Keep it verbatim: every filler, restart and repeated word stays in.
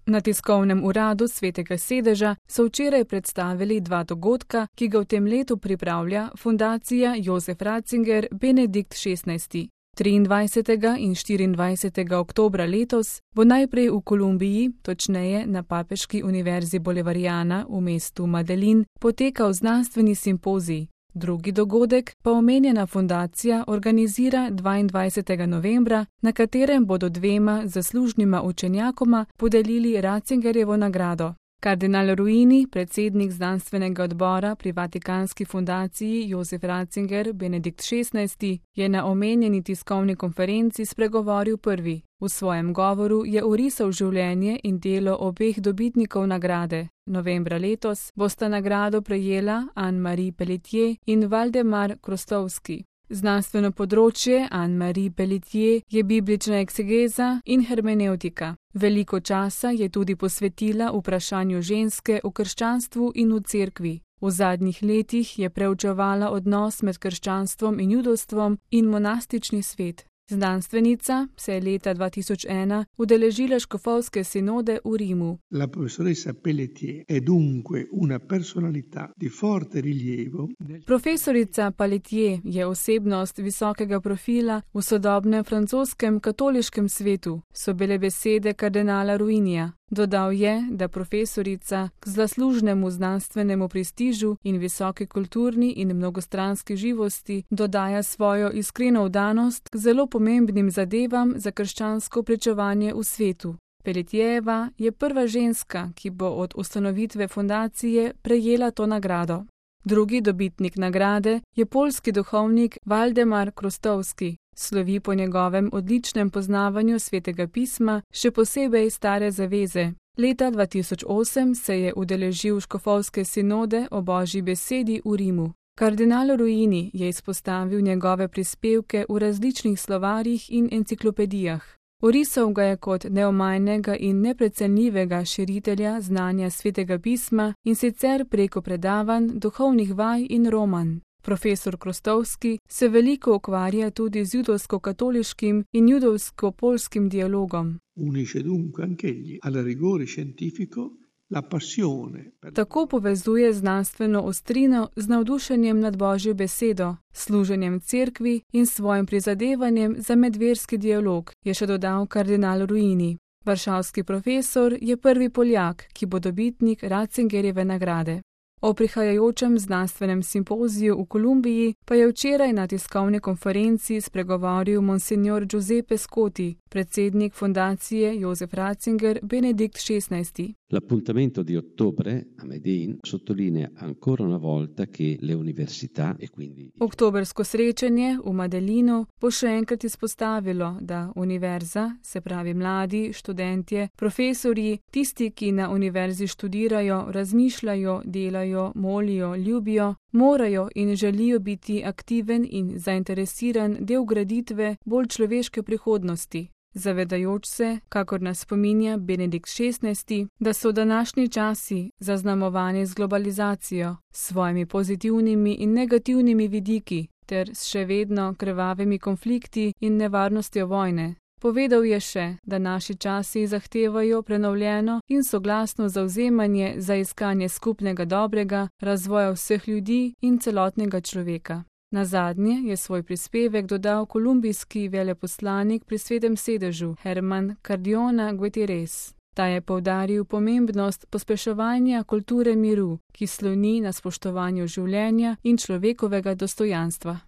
Na tiskovnem uradu Svetega sedeža so včeraj predstavili dva dogodka, ki ga v tem letu pripravlja Fundacija Josef Ratzinger Benedikt šestnajsti. triindvajsetega in štiriindvajsetega oktobra letos bo najprej v Kolumbiji, točneje na Papeški univerzi Bolivariana v mestu Medellín, potekal znanstveni simpozij. Drugi dogodek pa omenjena fundacija organizira dvaindvajsetega novembra, na katerem bodo dvema zaslužnima učenjakoma podelili Ratzingerjevo nagrado. Kardinal Ruini, predsednik znanstvenega odbora pri Vatikanski fundaciji Josef Ratzinger Benedikt šestnajsti, je na omenjeni tiskovni konferenci spregovoril prvi. V svojem govoru je orisal življenje in delo obeh dobitnikov nagrade. Novembra letos bosta nagrado prejela Anne-Marie Pelletier in Valdemar Krostovski. Znanstveno področje Anne-Marie Pelletier je biblična eksegeza in hermenevtika. Veliko časa je tudi posvetila vprašanju ženske v krščanstvu in v cerkvi. V zadnjih letih je preučevala odnos med krščanstvom in judovstvom in monastični svet. Znanstvenica se je leta dva tisoč ena udeležila škofovske sinode v Rimu. La professoressa Pelletier è dunque una personalità di forte rilievo. Profesorica Pelletier je osebnost visokega profila v sodobnem francoskem katoliškem svetu, so bile besede kardinala Ruinija. Dodal je, da profesorica k zaslužnemu znanstvenemu prestižu in visoki kulturni in mnogostranski živosti dodaja svojo iskreno vdanost k zelo pomembnim zadevam za krščansko pričevanje v svetu. Pelletierjeva je prva ženska, ki bo od ustanovitve fundacije prejela to nagrado. Drugi dobitnik nagrade je poljski duhovnik Valdemar Krostovski. Slovi po njegovem odličnem poznavanju Svetega pisma, še posebej Stare zaveze. Leta dva tisoč osem se je udeležil škofovske sinode o Božji besedi v Rimu. Kardinal Ruini je izpostavil njegove prispevke v različnih slovarjih in enciklopedijah. Orisal ga je kot neomajnega in neprecenljivega širitelja znanja Svetega pisma in sicer preko predavanj, duhovnih vaj in roman. Profesor Krostovski se veliko ukvarja tudi z judovsko-katoliškim in judovsko-poljskim dialogom. Unisce dunque anch'egli al rigore scientifico la passione. Tako povezuje znanstveno ostrino z navdušenjem nad Božjo besedo, služenjem cerkvi in svojim prizadevanjem za medverski dialog, je še dodal kardinal Ruini. Varšavski profesor je prvi Poljak, ki bo dobitnik Ratzingerjeve nagrade. O prihajajočem znanstvenem simpoziju v Kolumbiji pa je včeraj na tiskovni konferenci spregovoril monsignor Giuseppe Scotti, predsednik fundacije Josef Ratzinger Benedikt šestnajsti. L'appuntamento di ottobre a Medellín sottolinea ancora una volta che le università e quindi Oktobersko srečanje v Medellínu bo še enkrat izpostavilo, da univerza, se pravi mladi, študentje, profesorji, tisti, ki na univerzi študirajo, razmišljajo, delajo, molijo, ljubijo, morajo in želijo biti aktiven in zainteresiran del graditve bolj človeške prihodnosti. Zavedajoč se, kakor nas spominja Benedikt šestnajsti, da so današnji časi zaznamovani z globalizacijo, s svojimi pozitivnimi in negativnimi vidiki, ter s še vedno krvavimi konflikti in nevarnostjo vojne. Povedal je še, da naši časi zahtevajo prenovljeno in soglasno zavzemanje za iskanje skupnega dobrega, razvoja vseh ljudi in celotnega človeka. Nazadnje je svoj prispevek dodal kolumbijski veleposlanik pri Svetem sedežu Herman Cardona Gutierrez. Ta je poudaril pomembnost pospeševanja kulture miru, ki sloni na spoštovanju življenja in človekovega dostojanstva.